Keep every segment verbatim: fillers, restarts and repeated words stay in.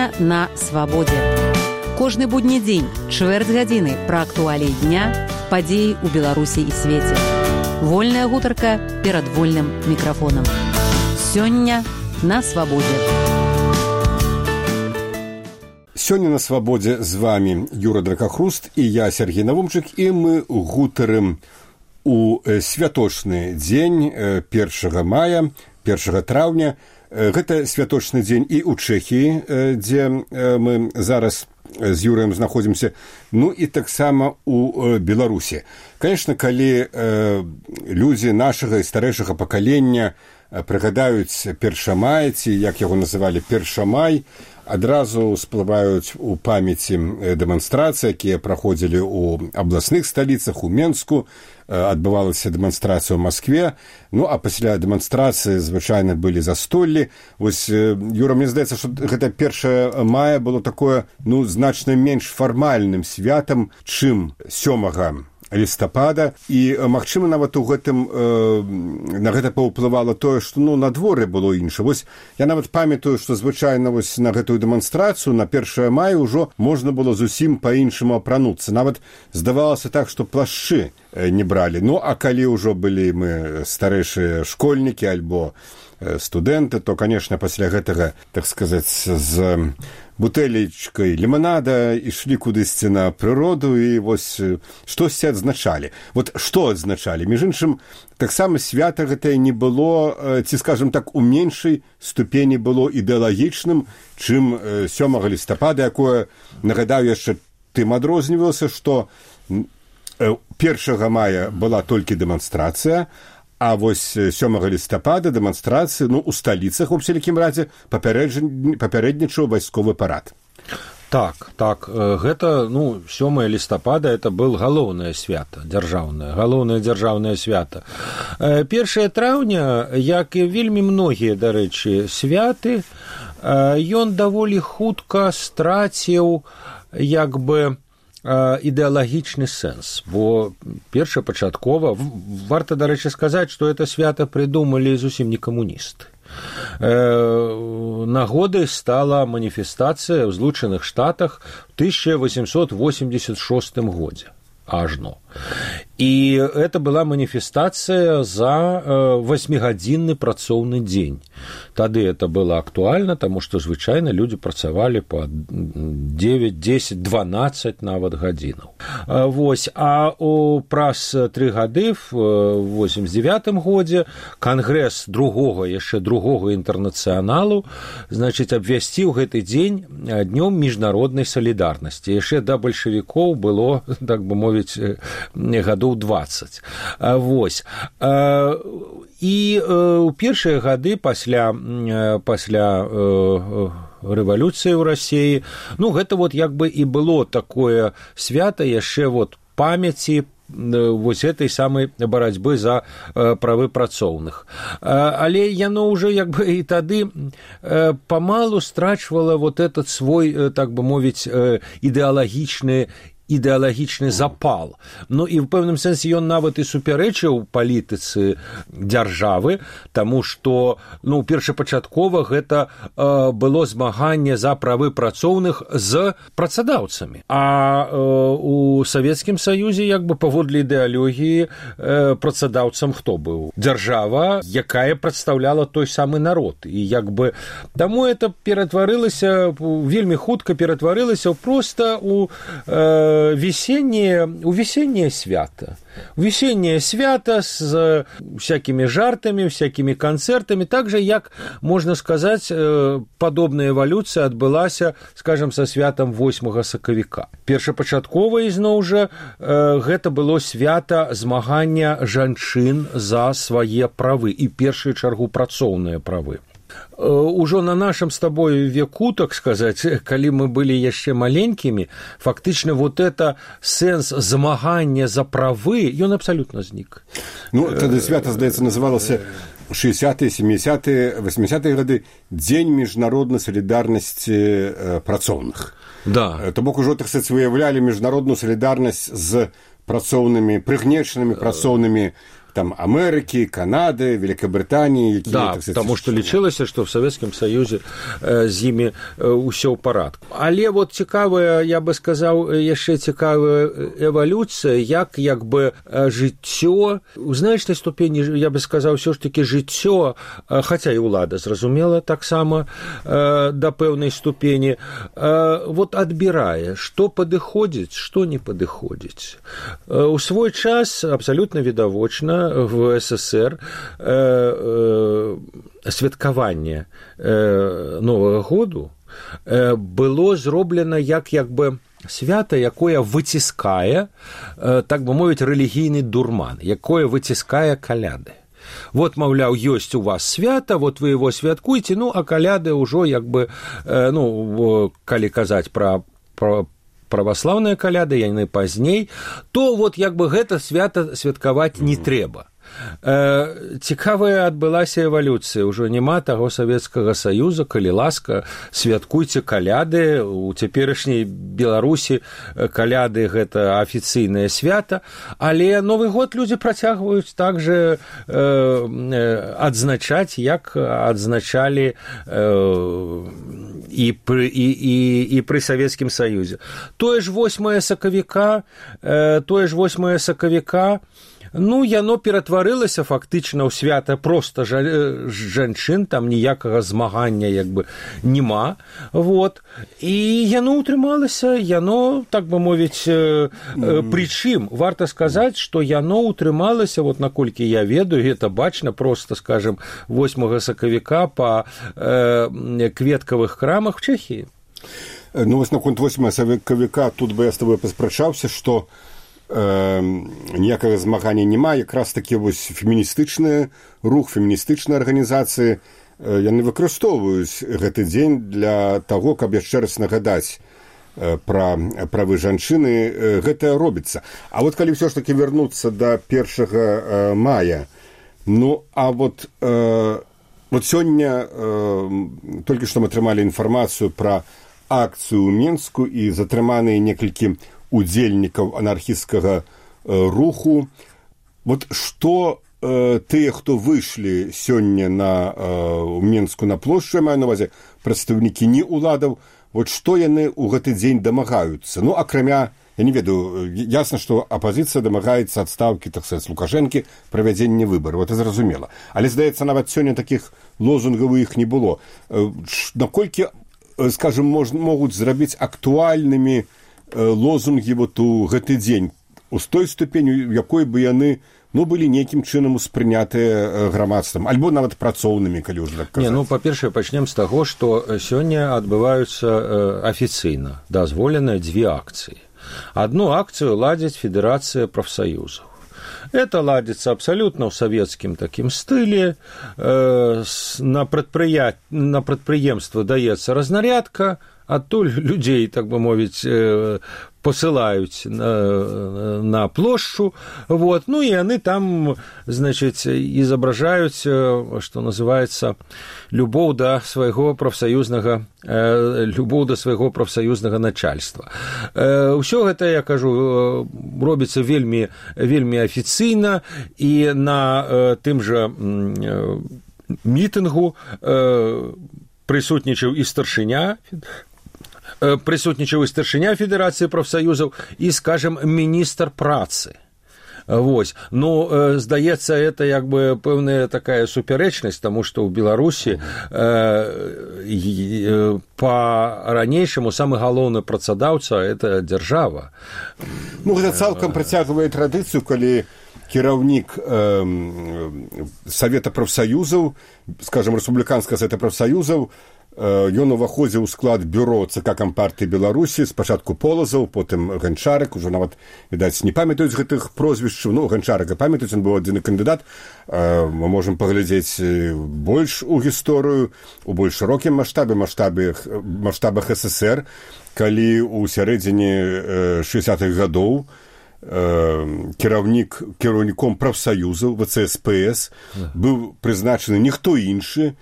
Сёння на свабодзе. Кожны будні дзень, чвэрць гадзіны пра актуаліі дня, падзеі ў Беларусі і свеце. Вольная гутарка перад вольным мікрафонам. Сёння на свабодзе. Сёння на свабодзе з вами Юра Дракахруст і я, Сергей Навумчык, і мы гутарым у святочны дзень першага мая, першага траўня. Гэта святочны дзень і ў Чэхіі, дзе мы зараз з Юрыем знаходзімся, ну і таксама у Беларусі. Канешне, калі людзі нашага і старэйшага пакалення прыгадаюць першамай, ці як яго называлі першамай, адразу всплываюць у памяці дэманстрацыі, якія праходзілі ў абласных сталіцах, у Менску, адбывалася дэманстрацыя ў Маскве, ну а пасля дэманстрацыі звычайна былі застоллі. Вось, Юра, мне здаецца, што гэта першае мая было такое, ну, значна менш фармальным святам, чым сёмага лістапада, і магчыма нават у гэтым э, на гэта паўплывала тое, што ну на дворы было інша. Вось я нават памятаю, што звычайна вось на гэтую дэманстрацыю на першае мая ўжо можна было зусім па-іншаму апрануцца. Нават здавалася так, што плашчы не бралі. Ну а калі ўжо былі мы старэйшыя школьнікі альбо студэнты, то, канешне, пасля гэтага, так сказаць, з бутэлечкай ліманада ішлі кудысьці на прыроду і вось штосьці адзначалі. Вот што адзначалі? Між іншым, таксама свята гэтае не было, ці, скажам так, у меншай ступені было ідэалагічным, чым сёмага лістапада, якое, нагадаю, яшчэ тым адрознівалася, што першага мая была толькі дэманстрацыя, а вось сёмага лістапада дэманстрацыі, ну, у сталіцах, у всялякім разе, папярэднічаў вайсковы парад. Так, так, гэта, ну, сёмае лістапада, это был галоўнае свята, дзяржаўнае, галоўнае дзяржаўнае свята. Першае траўня, як і вельмі многія, дарэчы, святы, ён даволі хутка страціў, як бы, ідэалагічны сэнс, бо першапачаткова, варта, дарэчы, сказаць, што это свята прыдумалі зусім не камуністы. Нагодай стала маніфестацыя ў Злучаных Штатах у тысяча восемьсот восемьдесят шостым годзе, ажно. І это была маніфестацыя за восьмігадзінны працоўны дзень. Тады это было актуальна, таму што звычайна людзі працавалі па девять, десять, дванаццаць нават гадзінаў. Вось, а у праз тры гады в восемьдесят девятым годзе кангрэс другога, яшчэ другога інтэрнацыяналу, значыць, абвясціў гэты дзень днём міжнароднай салідарнасці. Яшчэ да бальшавікоў было, так бы мовіць, гадоў дваццаць. Вось. І ў першыя гады пасля, пасля рэвалюцыі ў Расіі, ну, гэта вот як бы і было такое свята яшчэ вот памяці вось этой самай барацьбы за правы працоўных. Але яно ўжо як бы і тады памалу страчвала вот этот свой, так бы мовіць, ідэалагічны ідэалагічны запал. Ну і ў пэўным сэнсе ён нават і супярэчыў палітыцы дзяржавы, таму што, ну, першапачаткова гэта э, было змаганне за правы працоўных з працадаўцамі. А э, у Савецкім Саюзе, як бы паводле ідэалогіі, э, працадаўцам хто быў? Дзяржава, якая прадстаўляла той самы народ. І як бы таму это ператварылася, вельмі хутка ператварылася проста у э, весеннее, у весеннее свято. Весеннее свято с всякими жартами, всякими концертами, так же, як, можно сказать, подобная эволюция отбылася, скажем, со святом восьмага сакавіка. Першапачаткова, ізноў жа, гэта было свята змагання жанчын за свае правы і першую чаргу працоўныя правы. Ужо на нашым з табой веку, так сказаць, калі мы былі яшчэ маленькімі, фактычна вот это сэнс змагання за правы, ён абсалютна знік. Ну, тады свята, здаецца, называлася шэсцьдзесятыя, сямідзесятыя, восьмідзесятыя гады дзень міжнароднай салідарнасці працоўных. Да. То бок ужо, так сказаць, выяўлялі міжнародную салідарнасць з працоўнымі, прыгнечанымі працоўнымі там Америки, Канады, Великобритании. Да, так сказать, потому что лічылася, что в Советском Союзе э, з імі ўсё ў парадку. Але вот цікавая, я бы сказаў, яшчэ цікавая эвалюцыя, як як бы жыццё, у значнай ступені, я бы сказаў, ўсё ж таки жыццё, хаця і ўлада, зразумела, таксама э, да пэўнай ступені, э, вот адбірае, што падыходзіць, што не падыходзіць. Э, у свой час абсалютна відавочна в СССР э, э, святкаванне э, Новага году э, было зроблена як як бы свята, якое выціскае, э, так бы мовіць, рэлігійны дурман, якое выціскае каляды. Вот, маўляў, ёсць у вас свята, вот вы его святкуеце, ну, а каляды ўжо як бы, э, ну, калі казаць пра, пра праваслаўныя каляды, яны пазней, то вот як бы гэта свята святкаваць не трэба. Э, цікавая адбылася эвалюцыя, ужо няма таго Савецкага Саюза, калі ласка, святкуйце каляды, у цяперашняй Беларусі каляды гэта афіцыйнае свята, але Новы год людзі працягваюць также э, адзначаць, як адзначалі э, і, пры, і, і, і пры Савецкім Саюзе. Тое ж восьмае сакавіка, э, тое ж восьмае сакавіка, ну, яно ператварылася фактычна ў свята проста жанчын, там ніякага змагання як бы няма, вот, і яно ўтрымалася, яно, так бы мовіць, э, э, прычым, варта сказаць, што яно ўтрымалася, вот наколькі я ведаю, гэта бачна проста, скажем, восьмага сакавіка па э, кветкавых крамах в Чэхіі. Ну, вось наконт восьмага сакавіка тут бы я з табой паспрачаўся, што Э, ніякага змагання няма, якраз такі вось феміністычны рух, феміністычныя арганізацыі, э, яны выкарыстоўваюць гэты дзень для таго, каб яшчэ раз нагадаць э, пра правы жанчыны, э, гэта робіцца. А вот калі ўсё ж такі вярнуцца да першага э, мая, ну, а вот, э, вот сёння э, толькі што мы атрымалі інфармацыю пра акцыю ў Менску і затрыманыя некалькі удзельнікаў анархісцкага э, руху. Вот што э, тыя, хто выйшлі сёння на э, Менску на плошчу, я маю на ўвазе прадстаўнікі не ўладаў, вот што яны ў гэты дзень дамагаюцца? Ну, акрамя, я не ведаю, ясна, што апазіцыя дамагаецца адстаўкі, так сказаць, Лукашэнкі, правядзення выбараў, это зразумела. Але, здаецца, нават сёння такіх лозунгаў у іх не было. Э, наколькі, э, скажем, мож, могуць зрабіць актуальнымі лозунгі вот у гэты дзень у той ступені, якой бы яны ну, былі нейкім чынам успрынятыя грамадствам, альбо нават працоўнымі, калі ўжо так казаць. Не, ну, па-першае, пачнем з таго, што сёння адбываюцца афіцыйна дазволеныя дзве акцыі. Одну акцыю ладзіць Федэрацыя прафсаюзаў. Это ладится абсолютно в советском таким стиле. Э, на, предприя... на предприемство дается разнарядка, адтуль людей, так бы мовить, э, посылают на, на площадь, вот, ну и они там, значит, изображают, что называется, любовь до своего профсоюзного, э, любовь до своего профсоюзного начальства. Э, все это, я кажу, робится вельми, вельми офиційно, и на э, тым же э, митингу э, присутнічаў и старшыня, прысутнічаў і старшыня Федэрацыі прафсаюзаў і, скажем, міністр працы. Вось. Ну, здаецца, это як бы пэўная такая супярэчнасць, таму што ў Беларусі э, па-ранейшаму самы галоўны працадаўца – это дзяржава. Ну, гэта цалкам працягвае традыцыю, калі кіраўнік э, Савета прафсаюзаў, скажем, рэспубліканскага Савета прафсаюзаў, ён уваходзіў у склад бюро ЦК Кампартыі Беларусі, спачатку Полазаў, потым Ганчарык, ужо нават, відаць, не памятаюць гэтых прозвішчаў, ну, Ганчарыка памятаюць, ён быў адзіны кандыдат, мы можам паглядзець больш у гісторыю, у больш шырокім маштабе, маштабах, маштабах СССР, калі ў сярэдзіне шэсцідзятых гадоў кіраўнік, кіраўніком прафсаюзаў ВЦСПС быў прызначаны ніхто іншы,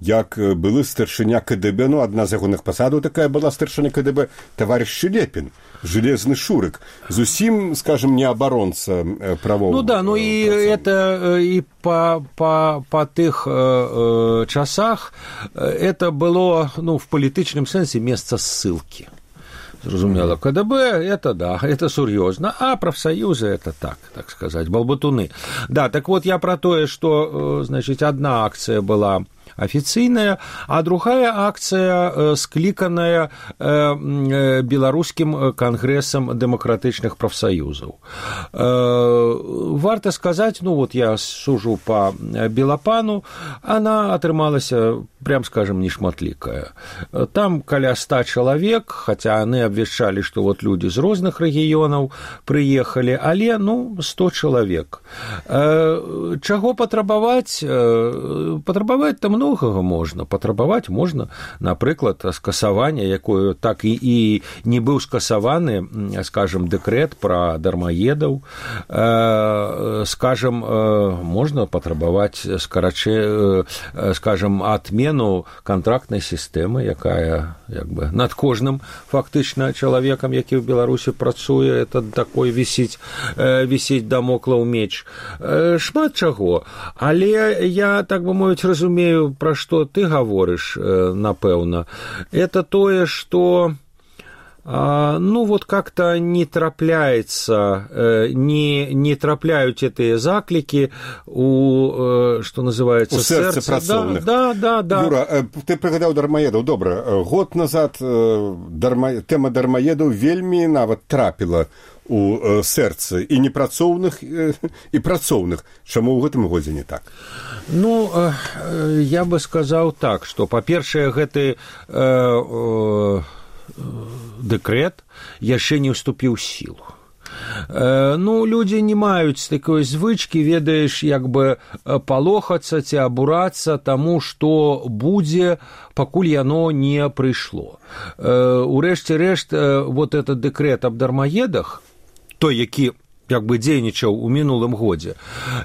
як былы старшыня КДБ, ну, адна з ягоных пасадаў такая была старшыня КДБ, таварыш Шелепін, железный шурык, зусім, скажем, не оборонца правоў. Ну да, ну и это и по, по, по тых э, часах это было, ну, в палітычным сэнсе месца ссылки. Зразумела, КДБ это да, это сур'ёзна, а профсоюзы это так, так сказать, балбатуны. Да, так вот я про то, что, значит, одна акция была офиційная, а другая акция скліканая беларускім кангрэсам дэмакратычных прафсаюзаў. Варта сказаць, ну вот я сужу по Белапану, она атрымалася, прям скажем, нешматлікая. Там каля ста чалавек, хотя они обвяшчалі, что вот люди з розных рэгіёнаў прыехалі, але, ну, сто чалавек. Чаго патрабаваць? Патрабаваць там многага можна. Патрабаваць можна, напрыклад, скасавання, якое так і, і не быў скасаваны, скажем, дэкрэт пра дармаедаў. Скажем, можна патрабаваць, скарачэ, скажем, отмену контрактнай сістэмы, якая, як бы, над кожным фактычна чалавекам, які ў Беларусі працуе, это такой вісіць, вісіць дамоклаў меч. Шмат чаго. Але я, так бы мовіць, разумею, пра што ты гаворыш, напэўна. Это тое, што ну, вот как-то не трапляется, не, не трапляют эти заклики у, что называется, у сердца працоўных. Да, да, да. Юра, ты прыгадаў дармаедаў. Добра, год назад дарма... тэма дармаедаў вельмі нават трапіла у сэрцы і непрацоўных, і працоўных. Чаму ў гэтым годзе не так? Ну, я бы сказаў так, што, па-першае, гэты дэкрэт яшчэ не ўступіў ў сілу. Ну, людзі не маюць такой звычкі, ведаеш, як бы палохацца ці абурацца таму, што будзе, пакуль яно не прыйшло. Урэшце рэшт, вот этот дэкрэт аб дармаедах, той, які як бы дзейнічаў у мінулым годзе.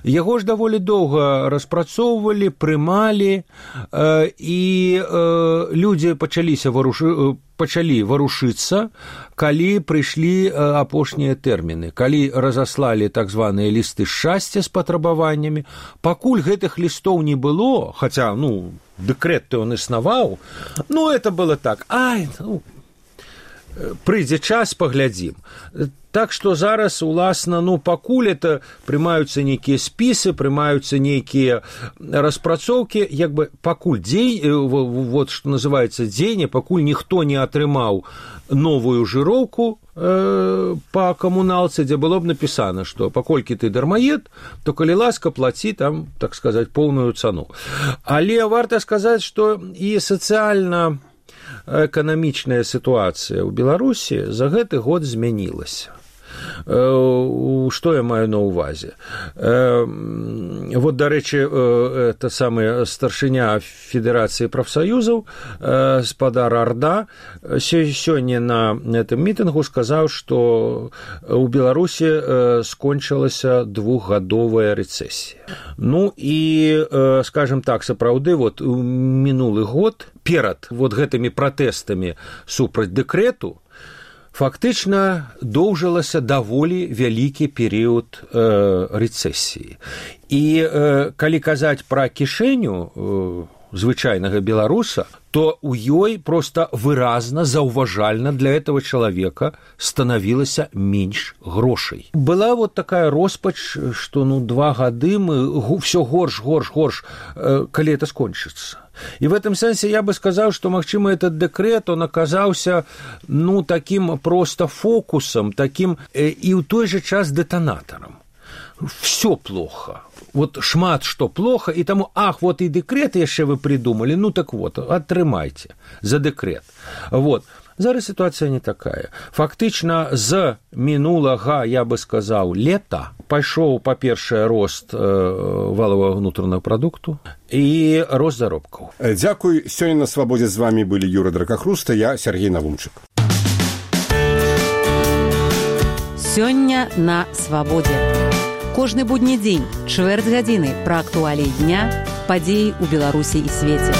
Яго ж даволі доўга распрацоўвалі, прымалі, э, і э, людзі пачаліся варушы, пачалі варушыцца, калі прыйшлі э, апошнія тэрміны, калі разаслалі так званыя лісты шчасця з патрабаваннямі. Пакуль гэтых лістоў не было, хаця, ну, дэкрэт-то ён існаваў, ну, это было так, ай, ну, прыйдзе час, паглядзім. Так што зараз, уласна, ну, пакуль это прымаюцца нейкія спісы, прымаюцца нейкія распрацоўкі, як бы пакуль дзень, вот што называецца дзеянне, пакуль ніхто не атрымаў новую жыроўку э, па камуналцы, дзе было б напісана, што паколькі ты дармаед, то калі ласка, плаці там, так сказаць, поўную цану. Але варта сказаць, што і сацыяльна эканамічная сітуацыя ў Беларусі за гэты год змянілася. Што я маю на ўвазе? Вот, дарэчы, это самая старшыня Федэрацыі прафсаюзаў, спадар Арда, сёння на гэтым мітынгу сказаў, што ў Беларусі скончылася двухгадовая рэцэсія. Ну і, скажем так, сапраўды, вот у мінулы год перад вот гэтымі пратэстамі супраць дэкрэту фактычна доўжылася даволі вялікі перыяд э, рэцэсіі. І э, калі казаць пра кішэню э, звычайнага беларуса, то у ёй просто выразна, заўважальна для этого человека становілася менш грошай. Была вот такая роспач, што ну два гады мы все горш, горш, горш, э, калі это скончыцца. И в этом сенсе я бы сказал, что, магчыма, этот декрет, он оказался, ну, таким просто фокусом, таким э, и в той же час детонатором. Все плохо. Вот шмат что плохо, и тому, ах, вот и декрет яшчэ вы придумали, ну так вот, атрымайце за декрет. Вот. Зараз ситуация не такая. Фактычна з мінулага, я бы сказаў, лета пайшоў, па-першае, рост э, валового внутреннего продукту і рост заробкаў. Дзякуй. Сёння на свабодзе з вами былі Юра Дракахруст і я, Сергей Навумчык. Сёння на свабодзе. Кожны будні дзень, чвэрць гадзіны пра актуаліі дня, падзеі ў Беларусі і свеце.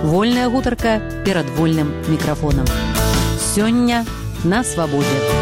Вольная гутарка перад вольным мікрафонам. Сёння на свабодзе.